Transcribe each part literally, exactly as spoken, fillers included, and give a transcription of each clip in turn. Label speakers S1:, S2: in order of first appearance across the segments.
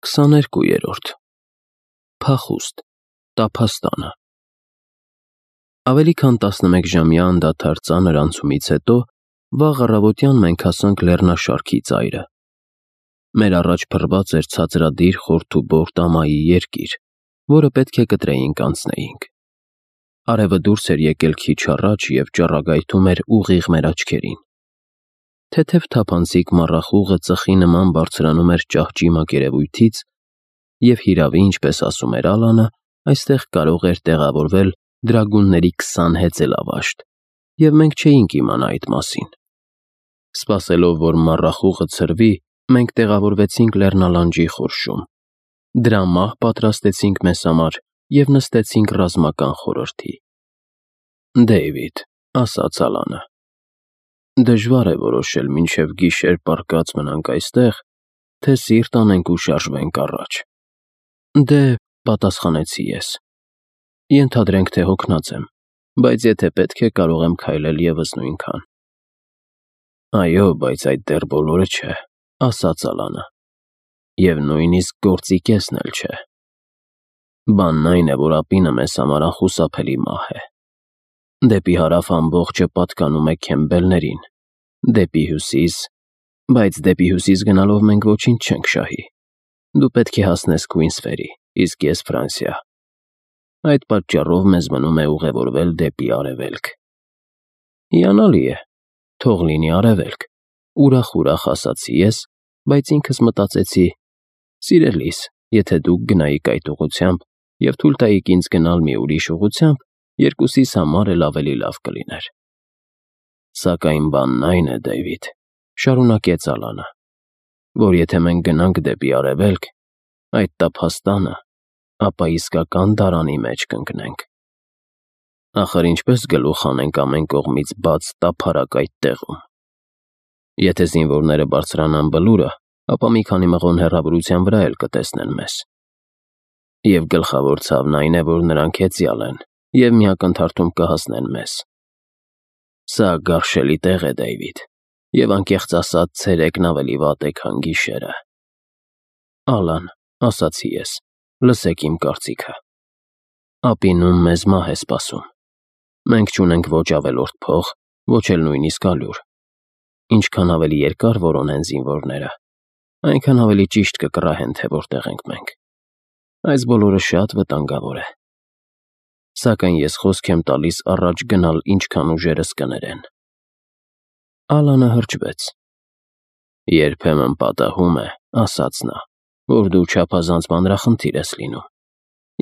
S1: Քսաներկուերորդ Փախուստ Տափաստանը Ավելի քան տասնմեկժամյա անդադար ծանր անցումից հետո վաղ առավոտյան մենք հասանք լեռնաշարքի ծայրը։ Մեր առաջ փռված էր ցածրադիր խորթուբոր տամայի երկիր, որը պետք է կտրեինք անցնեինք։ Արևը դուրս էր եկել քիչ առաջ և ճառագայթում էր ուղիղ մեր աչքերին։ Թեթև թափանցիկ մառախուղը ծխի նման բարձրանում էր ճահճի մակերևույթից, և հիրավի, ինչպես ասում էր Ալանը, այստեղ կարող էր տեղավորվել դրագունների քսան հեծելավաշտ, և մենք չէինք իմանա այդ մասին։ Սպասելով, որ մառախուղը ցրվի, մենք տեղավորվեցինք լեռնալանջի խորշում։ Դրա մահ պատրաստեցինք մեզ համար և նստեցինք ռազմական խորհրդի։ «Դեյվիդ», ֊ ասաց Ալանը, ֊ դժվար է որոշել մինչև գիշեր պառկած մնանք այստեղ, թե սիրտ անենք ու շարժվենք առաջ։ «Դե», ֊ պատասխանեցի ես, ֊ ենթադրենք, թե հոգնած եմ, բայց եթե պետք է, կարող եմ քայլել ևս նույնքան։ «Այո, բայց այդ դեռ բոլորը չէ», ֊ ասաց Ալանը, ֊ և նույնիսկ գործի կեսն էլ չէ։ Բանն այն է, որ ափինը մեզ համար անխուսափելի մահ է։ Դեպի հարավ ամբողջը պատկանում է Քեմբելներին, դեպի հյուսիս… Բայց դեպի հյուսիս գնալով մենք ոչինչ չենք շահի։ Դու պետք է հասնես Քուինսֆերի, իսկ ես՝ Ֆրանսիա։ Այդ պատճառով մեզ մնում է ուղևորվել դեպի արևելք։ Հիանալի է, թող լինի արևելք, ուրախ-ուրախ ասացի ես, բայց ինքս մտածեցի. սիրելիս, եթե դուք գնայիք այդ ուղղությամբ և թույլ տայիք ինձ գնալ մի ուրիշ ուղղությամբ, երկուսիս համար էլ ավելի լավ կլիներ։ Սակայն բանն այն է, Դեյվիդ, ֊ շարունակեց Ալանը, ֊ որ եթե մենք գնանք դեպի արևելք, այդ տափաստանը, ապա իսկական դարանի մեջ կընկնենք։ Ախր ինչպես գլուխ հանենք ամեն կողմից բաց տափարակ այդ տեղում։ Եթե զինվորները բարձրանան բլուրը, ապա մի քանի մղոն հեռավորության վրա էլ կտեսնեն մեզ։ Եվ գլխավոր ցավն այն է, որ նրանք հեծյալ են և մի ակնթարթում կհասնեն մեզ։ Սա գարշելի տեղ է, Դեյվիդ, և անկեղծ ասած, ցերեկն ավելի վատ է, քան գիշերը։ Ալան, ֊ ասացի ես, ֊ լսեք իմ կարծիքը։ Ափինում մեզ մահ է սպասում։ Մենք չունենք ոչ ավելորդ փող, ոչ էլ նույնիսկ ալյուր։ Ինչքան ավելի երկար որոնեն զինվորները, այնքան ավելի ճիշտ կկռահեն, թե որտեղ ենք մենք։ Այս բոլորը շատ վտանգավոր է։ Սակայն ես խոսք եմ տալիս առաջ գնալ, ինչքան ուժերս կներեն։ Ալանը հրճվեց։ Երբեմն պատահում է, ֊ ասաց նա, ֊ որ դու չափազանց մանրախնդիր ես լինում,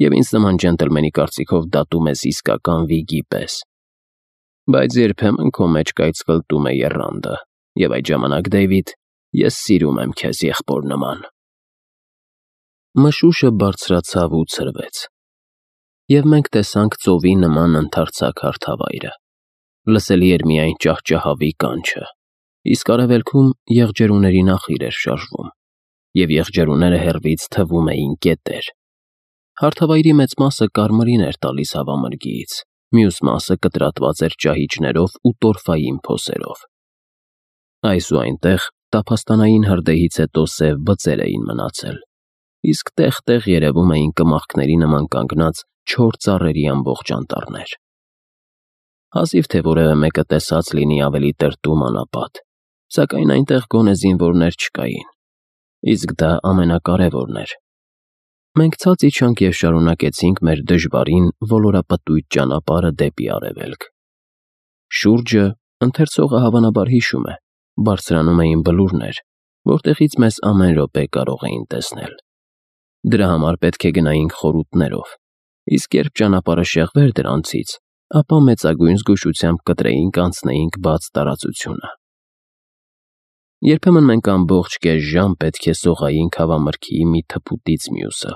S1: և ինձ նման ջենտլմենի կարծիքով դատում ես իսկական վիգի պես։ Բայց երբեմն քո մեջ կայծկլտում է եռանդը, և այդ ժամանակ, Դեյվիդ, ես սիրում եմ քեզ եղբոր նման։ Մշուշը բարձրացավ ու ցրվեց, և մենք տեսանք ծովի նման ընդարձակ հարթավայրը։ Լսելի էր միայն ճահճահավի կանչը, իսկ արևելքում եղջերուների նախիր էր շարժվում, և եղջերուները հեռվից թվում էին կետեր։ Հարթավայրի մեծ մասը կարմիրին էր տալիս հավամրգիից, մյուս մասը կտրատված էր ճահիճներով ու տորֆային փոսերով։ Այս ու այնտեղ տափաստանային հրդեհից հետո սև բծեր էին մնացել, իսկ տեղ-տեղ երևում էին կմախքների նման կանգնած չոր ծառերի ամբողջ անտառներ։ Հազիվ թե որևէ մեկը տեսած լինի ավելի տրտում անապատ, սակայն այնտեղ գոնե զինվորներ չկային, իսկ դա ամենակարևորն էր։ Մենք ցած իջանք և շարունակեցինք մեր դժվարին ոլորապտույտ ճանապարհը դեպի արևելք։ Շուրջը, ընթերցողը հավանաբար հիշում է, բարձրանում էին բլուրներ, որտեղից մեզ ամեն րոպե կարող էին տեսնել։ Դրա համար պետք է գնայինք խորհուրդներով, իսկ երբ ճանապարհը շեղվեր դրանցից, ապա մեծագույն զգուշությամբ կտրեինք անցնեինք բաց տարածությունը։ Երբեմն մենք ամբողջ կես ժամ պետք է սողայինք հավամրգիի մի թփուտից մյուսը,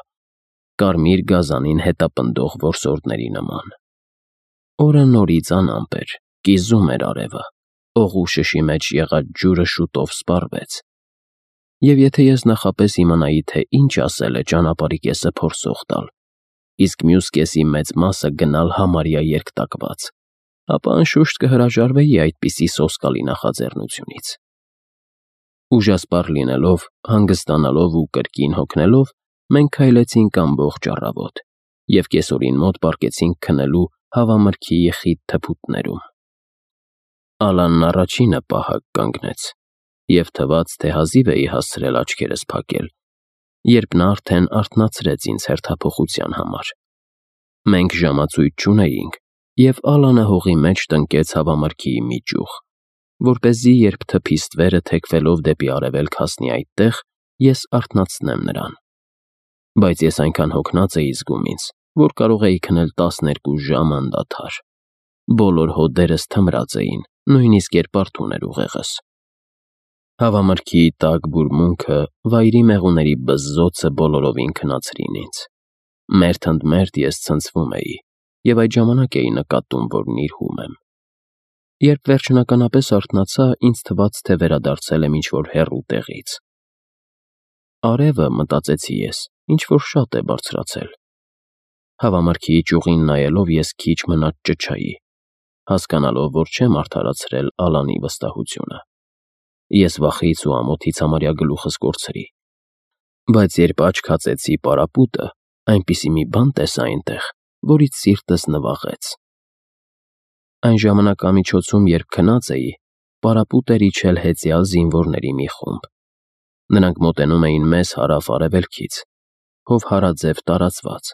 S1: կարմիր գազանին հետապնդող որսորդների նման։ Օրը նորից անամպ էր, կիզում էր արևը, օղու շշի մեջ եղած ջուրը շուտով սպառվեց։ Եվ եթե ես նախապես իմանայի, թե ինչ ասել է ճանապարհի կեսը փորձող տալ, իսկ մյուս կեսի մեծ մասը գնալ համարյա երկատված, ապա անշուշտ կհրաժարվեի այդպիսի սոսկալի նախաձեռնությունից։ Ուժասպառ լինելով, հանգստանալով ու կրկին հոգնելով, մենք քայլեցինք ամբողջ առավոտ և կեսօրին մոտ պառկեցինք քնելու հավամրգի խիտ թփուտներում։ Ալանն առաջինը պահակ կանգնեց, և թվաց, թե հազիվ էի հասցրել աչքերս փակել, երբ նա արդեն արթնացրեց ինձ հերթափոխության համար։ Մենք ժամացույց չունեինք, և Ալանը հողի մեջ տնկեց հավամրգիի մի ճյուղ, որպեսզի երբ թփի ստվերը թեքվելով դեպի արևելք հասնի այդտեղ, ես արթնացնեմ նրան։ Բայց ես այնքան հոգնած էի զգում ինձ, որ կարող էի քնել տասներկու ժամ անդադար։ Բոլոր հոդերս թմրած էին, նույնիսկ երբ արթուն էր ուղեղս։ Հավամրգիի տաք բուրմունքը, վայրի մեղուների բզզոցը բոլորովին քնացրին ինձ։ Մերթ ընդ մերթ ես ցնցվում էի, և այդ ժամանակ էի նկատում, որ նիրհում եմ։ Երբ վերջնականապես արթնացա, ինձ թվաց, թե վերադարձել եմ ինչ-որ հեռու տեղից։ Արևը, մտածեցի ես, ինչ-որ շատ է բարձրացել։ Հավամրգիի ճյուղին նայելով ես քիչ մնաց ճչայի, հասկանալով, որ չեմ արդարացրել Ալանի վստահությունը։ Ես վախից ու ամոթից համարյա գլուխս կորցրի։ Բայց երբ աչք հացեցի պարապուտը, այնպիսի մի բան տեսա այնտեղ, որից սիրտս նվաղեց։ Այն ժամանակամիջոցում, երբ քնած էի, պարապուտ էր իջել հեծյալ զինվորների մի խումբ։ Նրանք մոտենում էին մեզ հարավ-արևելքից, հովհարաձև տարածված,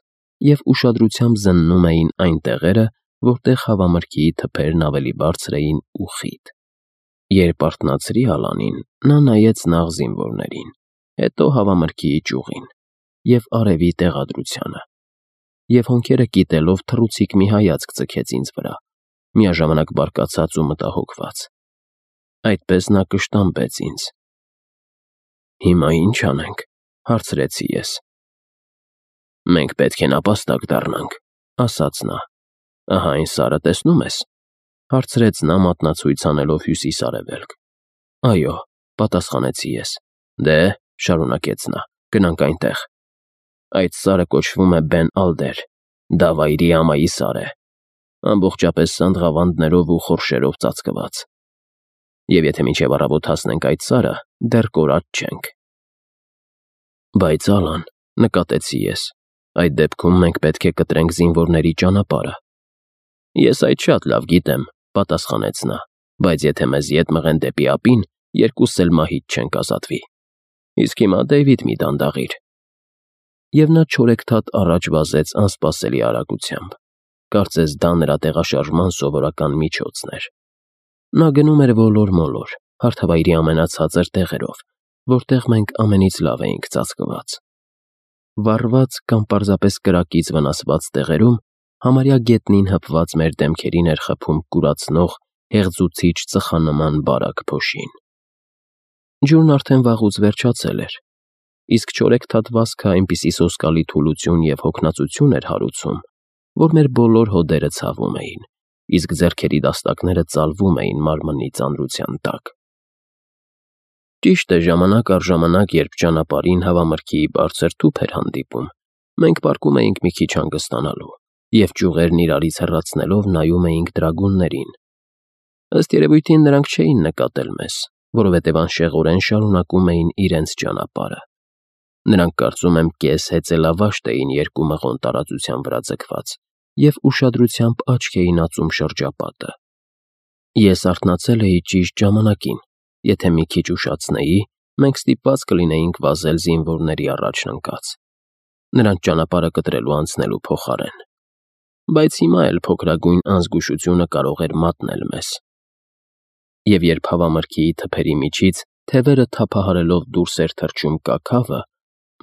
S1: և ուշադրությամբ զննում էին այն տեղերը, որտեղ հավամրգիի թփերն ավելի բարձր էին ու խիտ։ Երբ արթնացրի Ալանին, նա նայեց նախ զինվորներին, հետո հավամրգիի ճյուղին և արևի տեղադրությանը, և հոնքերը կիտելով թռուցիկ մի հայացք ձգեց ինձ վրա, միաժամանակ բարկացած ու մտահոգված։ Այդպես նա կշտամբեց ինձ։ «Հիմա ի՞նչ անենք», հարցրեցի ես։ «Մենք պետք է նապաստակ դառնանք», ասաց նա։ «Ահա այն սարը, տեսնո՞ւմ ես», հարցրեց նա մատնացույց անելով հյուսիս֊արևելք։ «Այո», պատասխանեցի ես։ «Դե», շարունակեց նա, «գնանք այնտեղ։ Այդ սարը կոչվում է Բեն Ալդեր, դա վայրի ամայի սար է, ամբողջապես սանդղավանդներով ու խորշերով ծածկված։ Եվ եթե մինչև առավոտ հասնենք այդ սարը, դեռ կորած չենք»։ «Բայց Ալան», նկատեցի ես, «այդ դեպքում մենք պետք է կտրենք զինվորների ճանապարհը»։ «Ես այդ շատ լավ գիտեմ», պատասխանեց նա, «բայց եթե մեզ ետ մղեն դեպի ափին, երկուսս էլ մահից չենք ազատվի։ Իսկ հիմա, Դեյվիդ, մի դանդաղիր»։ Եվ նա չորեքթաթ առաջ վազեց անսպասելի արագությամբ։ Կարծես դա նրա տեղաշարժման սովորական միջոցն էր։ Նա գնում էր ոլոր-մոլոր, հարթավայրի ամենացածր տեղերով, որտեղ մենք ամենից լավ էինք ծածկված։ Վառված կամ պարզապես կրակից վնասված տեղերում համարյա գետնին հպված մեր դեմքերին էր խփում կուրացնող, հեղձուցիչ ծխանման բարակ փոշին։ Ջուրն արդեն վաղուց վերջացել էր, իսկ չորեքթաթ վազքը այնպիսի սոսկալի թուլություն և հոգնածություն էր հարուցում, որ մեր բոլոր հոդերը ցավում էին, իսկ ձեռքերի դաստակները ծալվում էին մարմնի ծանրության տակ։ Ճիշտ է, ժամանակ առ ժամանակ, երբ ճանապարհին հավամրգիի բարձր թուփ էր հանդիպում, մենք պառկում էինք մի քիչ հանգստանալու և ճյուղերն իրարից հեռացնելով նայում էինք դրագուններին։ Ըստ երևույթին նրանք չէին նկատել մեզ, որովհետև անշեղորեն շարունակում էին իրենց ճանապարհը։ Նրանք, կարծում եմ, կես հեծելավաշտ էին երկու մղոն տարածության վրա ձգված և ուշադրությամբ աչք էին ածում շրջապատը։ Ես արթնացել էի ճիշտ ժամանակին, եթե մի քիչ ուշացնեի, մենք ստիպված կլինեինք վազել զինվորների առաջն ընկած, նրանց ճանապարհը կտրելու անցնելու փոխարեն։ Բայց հիմա էլ փոքրագույն անզգուշությունը կարող էր մատնել մեզ։ Եվ երբ հավամրգիի թփերի միջից թևերը թափահարելով դուրս էր թռչում կաքավը,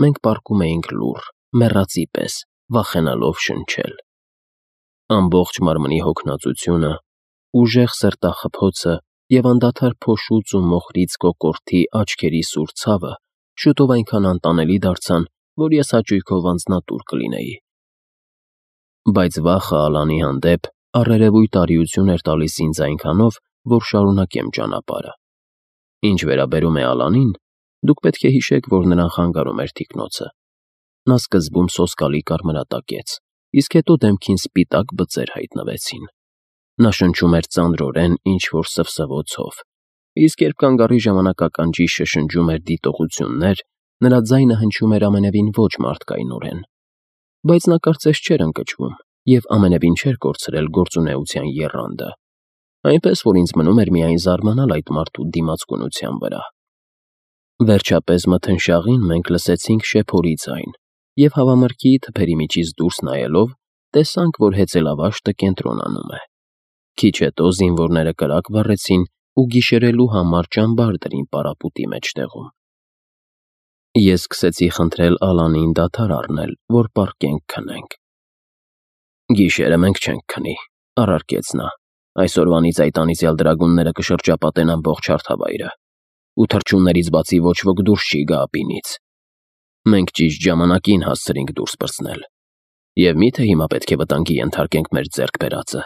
S1: մենք պառկում էինք լուռ, մեռածի պես, վախենալով շնչել։ Ամբողջ մարմնի հոգնածությունը, ուժեղ սրտախփոցը և անդադար փոշուց ու մոխրից կոկորդի աչքերի սուր ցավը շուտով այնքան անտանելի դարձան, որ ես հաճույքով անձնատուր կլինեի։ Բայց վախը Ալանի հանդեպ առերևույթ արիություն էր տալիս ինձ այնքանով, որ շարունակեմ ճանապարհը։ Ինչ վերաբերում է Ալանին, դուք պետք է հիշեք, որ նրան խանգարում էր թիկնոցը։ Նա սկզբում սոսկալի կարմրատակեց, իսկ հետո դեմքին սպիտակ բծեր հայտնվեցին։ Նա շնչում էր ծանրորեն ինչ-որ սվսվոցով, իսկ երբ կանգառի ժամանակականջի շշնջում էր դիտողություններ, նրա ձայնը հնչում էր ամենևին ոչ մարդկայնորեն, բայց նա կարծես չէր ընկճվում և ամենևին չէր կորցրել գործունեության եռանդը, այնպես որ ինձ մնում էր միայն զարմանալ այդ մարդու դիմացկունության վրա։ Վերջապես մթնշաղին մենք լսեցինք շեփորի ձայն և հավամրգի թփերի միջից դուրս նայելով տեսանք, որ հեծելավաշտը կենտրոնանում է։ Քիչ հետո զինվորները կրակ վառեցին ու գիշերելու համար ճամբար դրին պարապուտի մեջտեղում։ Ես սկսեցի խնդրել Ալանին դադար առնել, որ պառկենք քնենք։ «Գիշերը մենք չենք քնի», առարկեց նա։ «Այսօրվանից այդ անիծյալ դրագունները կշրջապատեն ամբողջ հարթավայրը, ու թռչուններից բացի ոչ ոք դուրս չի գա ափինից։ Մենք ճիշտ ժամանակին հասցրինք դուրս պրծնել։ Եվ մի՞թե հիմա պետք է վտանգի ենթարկենք մեր ձեռք բերածը։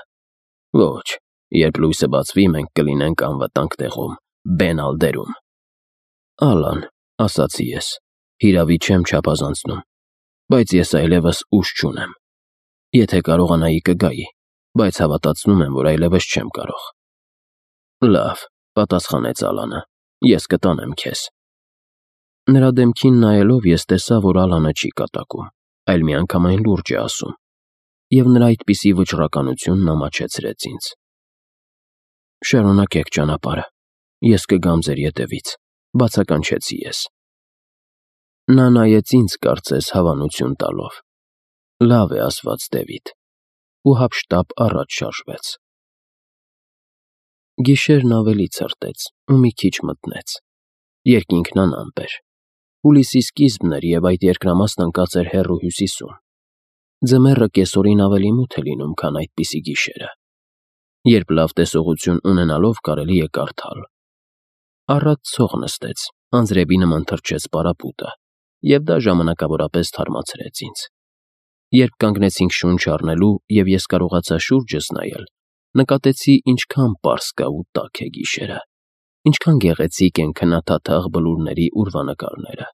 S1: Ոչ, երբ լույսը բացվի, մենք կլինենք անվտանգ տեղում, Բեն Ալդերում»։ «Ալան», ասացի ես, «հիրավի չեմ չափազանցնում, բայց ես այլևս ուժ չունեմ։ Եթե կարողանայի կգայի, բայց հավատացնում եմ, որ այլևս չեմ կարող»։ «Լավ», պատասխանեց Ալանը, «ես կտանեմ քեզ»։ Նրա դեմքին նայելով ես տեսա, որ Ալանը չի կատակում, այլ միանգամայն լուրջ է ասում, և նրա այդպիսի վճռականությունն ամաչեցրեց ինձ։ «Շարունակեք ճանապարհը, ես կգամ ձեր ետևից», բացականչեցի ես։ Նա նայեց ինձ, կարծես հավանություն տալով։ «Լավ է, ասված Դեվիդ», ու հափշտապ առաջ շարժվեց։ Գիշերն ավելի ցրտեց ու մի քիչ մթնեց։ Երկինքն անամպ էր։ Հուլիսի սկիզբն էր, և այդ երկրամասն ընկած էր հեռու հյուսիսում։ Ձմեռը կեսօրին ավելի մութ է լինում, քան այդպիսի գիշերը, երբ լավ տեսողություն ունենալով կարելի է կարդալ։ Առատ ցող նստեց, անձրևի նման թռչեց պարապուտը, և դա ժամանակավորապես թարմացրեց ինձ։ Երբ կանգնեցինք շունչ առնելու, և ես կարողացա շուրջս նայել, նկատեցի ինչքան պարզ կա ու տաք է գիշերը, ինչքան գեղեցիկ են քննադատաղ բլուրների ուրվանկարները,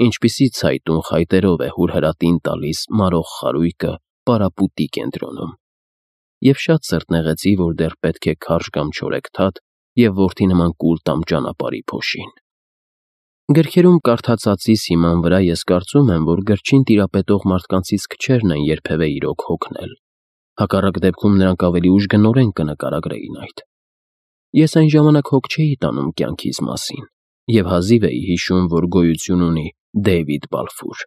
S1: ինչպիսի ցայտուն խայտերով է հուրհրատին տալիս մարող խարույկը պարապուտի կենտրոնում, և շատ սրտ նեղեցի, որ դեռ պետք է քարշ գամ չորեքթաթ և որդի նման կուլ տամ ճանապարհի փոշին։ Գրքերում կարդացածիս հիման վրա ես կարծում եմ, որ գրչին տիրապետող մարդկանցից քչերն են երբևէ իրոք հոգնել, հակառակ դեպքում նրանք ավելի ուժգնորեն կնկարագրեին այդ։ Ես այն ժամանակ հոգ չէի տանում կյանքիս մասին և հազիվ էի հիշում, որ գոյություն ունի Դեյվիդ Բալֆուր։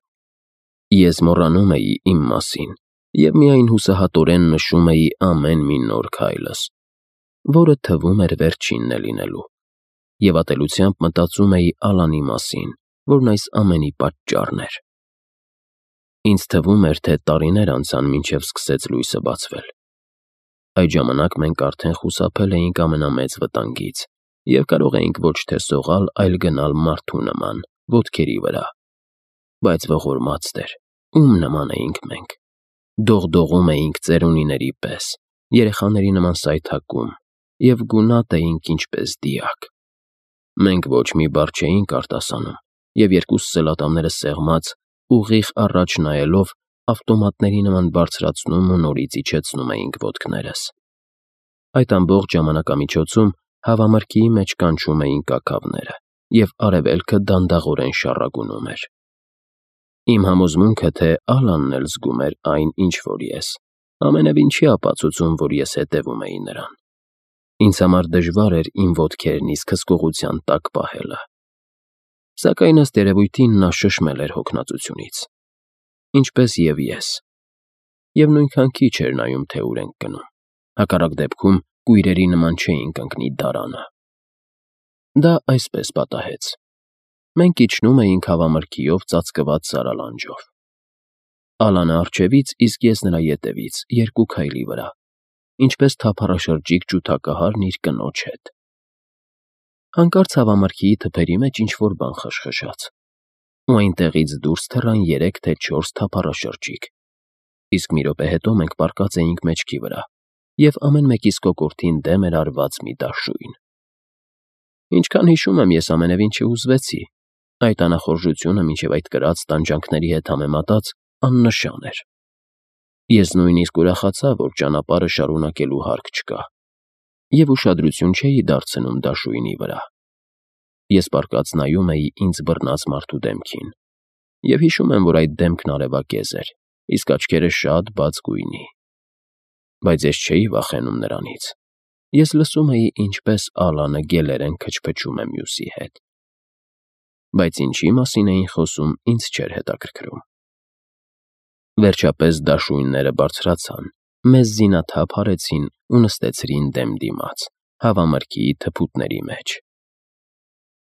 S1: Ես մոռանում էի իմ մասին և միայն հուսահատորեն նշում էի ամեն մի նոր քայլս, որը թվում էր վերջինն է լինելու, և ատելությամբ մտածում էի Ալանի մասին, որն այս ամենի պատճառն էր։ Ինձ թվում էր, թե տարիներ անցան, մինչև սկսեց լույսը բացվել։ Այդ ժամանակ մենք արդեն խուսափել էինք ամենամեծ վտանգից և կարող էինք ոչ թե սողալ, այլ գնալ մարդու նման, ոտքերի վրա։ Բայց ողորմած Տեր, ում նման էինք մենք։ Դողդողում էինք ծերունիների պես, երեխաների նման սայթաքում և գունատ էինք ինչպես դիակ։ Մենք ոչ մի բառ չէինք արտասանում, և երկուսս էլ ատամները սեղմած, ուղիղ առաջ նայելով, ավտոմատների նման բարձրացնում ու նորից իջեցնում էինք ոտքներս։ Այդ ամբողջ ժամանակամիջոցում հավամրգի մեջ կանչում էին կաքավները, և արևելքը դանդաղորեն շառագունում էր։ Իմ համոզմունքը, թե Ալանն էլ զգում էր այն, ինչ որ ես, ամենևին չի ապացուցում, որ ես հետևում էի նրան։ Ինձ համար դժվար էր իմ ոտքերն իսկ հսկողության տակ պահելը։ Սակայն ըստ երևույթին նա շշմել էր հոգնածությունից, ինչպես և ես, և նույնքան քիչ էր նայում, թե ուր ենք գնում, հակառակ դեպքում կույրերի նման չէինք ընկնի դարանը։ Դա այսպես պատահեց. մենք իջնում էինք հավամրգիով ծածկված սարալանջով։ Ալանը առջևից, իսկ ես նրա ետևից, երկու քայլի վրա, ինչպես թափառաշրջիկ ջութակահարն իր կնոջ հետ։ Հանկարծ հավամրգիի թփերի մեջ ինչ-որ բան խշխշաց, ու այնտեղից դուրս թռան երեք թե չորս թափառաշրջիկ, իսկ մի րոպե հետո մենք պառկած էինք մեջքի վրա, և ամեն մեկիս կոկորդին դեմ էր արված մի դաշույն։ Ինչքան հիշում եմ, ես ամենևին չհուզվեցի, այդ անախորժությունը մինչև այդ կրած տանջանքների հետ համեմատած աննշան էր։ Ես նույնիսկ ուրախացա, որ ճանապարհը շարունակելու հարկ չկա։ և ուշադրություն չէի դարձնում դաշույնի վրա։ Ես պառկած նայում էի ինձ բռնած մարդու դեմքին, և հիշում եմ, որ այդ դեմքն արևակեզ էր, իսկ աչքերը շատ բաց գույնի։ Բայց ես չէի վախենում նրանից։ Ես լսում էի, ինչպես Ալանը գելերեն քչփչում է մյուսի հետ։ Բայց ինչի մասին էին խոսում, ինձ չէր հետաքրքրում։ Վերջապես դաշույնները բարձրացան, մեզ զինաթափ արեցին ու նստեցրին դեմ դիմաց, հավամրգի թփուտների մեջ։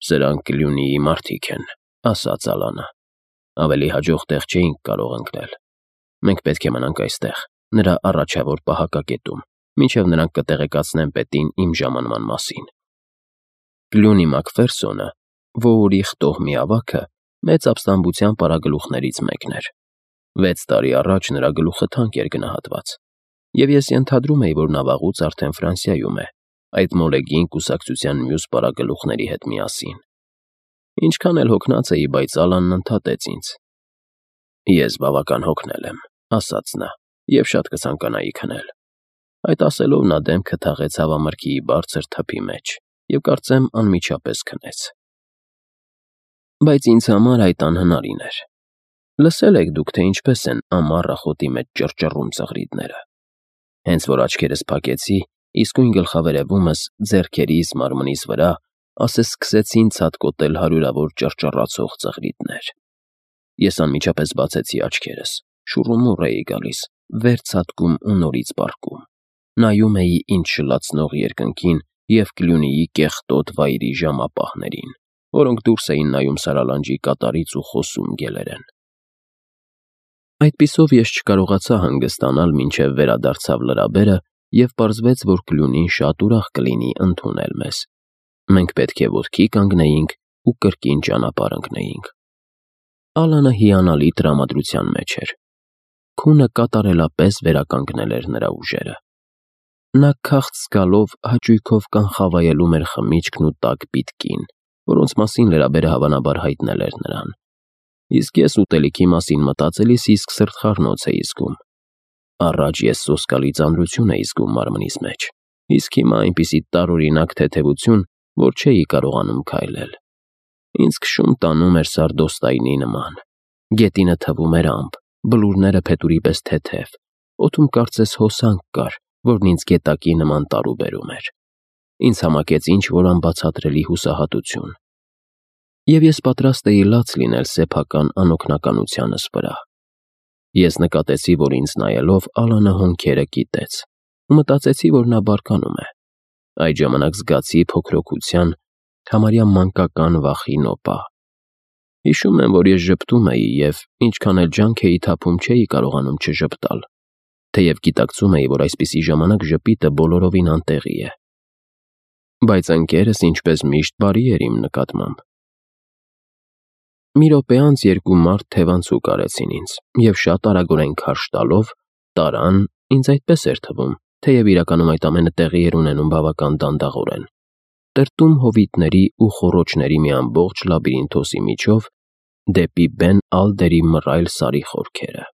S1: «Սրանք Կլյունիի մարդիկ են», ասաց Ալանը։ «Ավելի հաջող տեղ չէինք կարող ընկնել։ Մենք պետք է մնանք այստեղ, նրա առաջավոր պահակակետում, մինչև նրանք կտեղեկացնեն պետին իմ ժամանման մասին։ Կլյունի Մակֆերսոնը, Ոուրի խտողմի ավագը, մեծ ապստամբության պարագլուխներից մեկն էր։ Վեց տարի առաջ նրա գլուխը թանկ էր գնահատված, և ես ենթադրում էի, որ նա վաղուց արդեն Ֆրանսիայում է, այդ մոլեգին կուսակցության մյուս պարագլուխների հետ միասին։ Ինչքան էլ հոգնած էի, բայց Ալանն ընդհատեց ինձ։ «Ես բավական հոգնել եմ», ասաց նա, «և շատ կցանկանայի քնել»։ Այդ ասելով նա դեմքը թաղեց հավամրգի բարձր թփի մեջ և կարծեմ անմիջապես քնեց։ Բայց ինձ համար այդ անհնարին էր։ Լսել եք դուք, թե ինչպես են ամառ աղոթի մեջ ճռճռում ծղրիդները։ Հենց որ աչքերս փակեցի, իսկույն գլխավերևումս, ձեռքերիս, մարմնիս վրա, ասես սկսեցին ցատկոտել հարյուրավոր ճռճռացող ծղրիդներ։ Ես անմիջապես բացեցի աչքերս, շուռումուռ էի գալիս, վեր ցատկում ու նորից պառկում։ Նայում էի ինձ շլացնող երկնքին և Կլյունիի կեղտոտ վայրի ժամապահներին, որոնք դուրս էին նայում սարալանջի կատարից ու խոսում գելերեն։ Այդպիսով ես չկարողացա հանգստանալ, մինչև վերադարձավ լրաբերը, և պարզվեց, որ Կլյունին շատ ուրախ կլինի ընդունել մեզ։ Մենք պետք է ոտքի կանգնեինք ու կրկին ճանապարհ ընկնեինք։ Ալանը հիանալի տրամադրության մեջ էր։ Քունը կատարելապես վերականգնել էր նրա ուժերը։ Նա քաղց զգալով հաճույքով կանխավայելում էր խմիչքն ու տաք պիտկին, որոնց մասին լրաբերը հավանաբար հայտնել էր նրան։ Իսկ ես ուտելիքի մասին մտածելիս իսկ սրտխառնոց էի զգում։ Առաջ ես սոսկալի ծանրություն էի զգում մարմնիս մեջ, իսկ հիմա այնպիսի տարօրինակ թեթևություն, որ չէի կարողանում քայլել։ Ինձ քշում տանում էր սարդոստայնի նման։ Գետինը թվում էր ամպ, բլուրները փետուրի պես թեթև, օդում կարծես հոսանք կար, որն ինձ գետակի նման տարուբերում էր։ Ինձ համակեց ինչ-որ անբացատրելի հուսահատություն։ Եվ ես պատրաստ էի լաց լինել սեփական անօգնականությանս վրա։ Ես նկատեցի, որ ինձ նայելով Ալանը հոնքերը կիտեց, ու մտածեցի, որ նա բարկանում է։ Այդ ժամանակ զգացի փոքրոքության, համարյա մանկական վախի նոպա։ Հիշում եմ, որ ես ժպտում էի և, ինչքան էլ ջանք էի թափում, չէի կարողանում չժպտալ, թեև գիտակցում էի, որ այսպիսի ժամանակ ժպիտը բոլորովին անտեղի է։ Բայց ընկերս, ինչպես միշտ, բարի էր իմ նկատմամբ։ Մի րոպե անց երկու մարդ թևանցուկ արեցին ինձ և շատ արագորեն քարշ տալով տարան, ինձ այդպես էր թվում, թեև իրականում այդ ամենը տեղի էր ունենում բավական դանդաղորեն, տրտում հովիտների ու խոռոչների մի ամբողջ լաբիրինթոսի միջով դեպի Բեն Ալդերի մռայլ սարի խորքերը։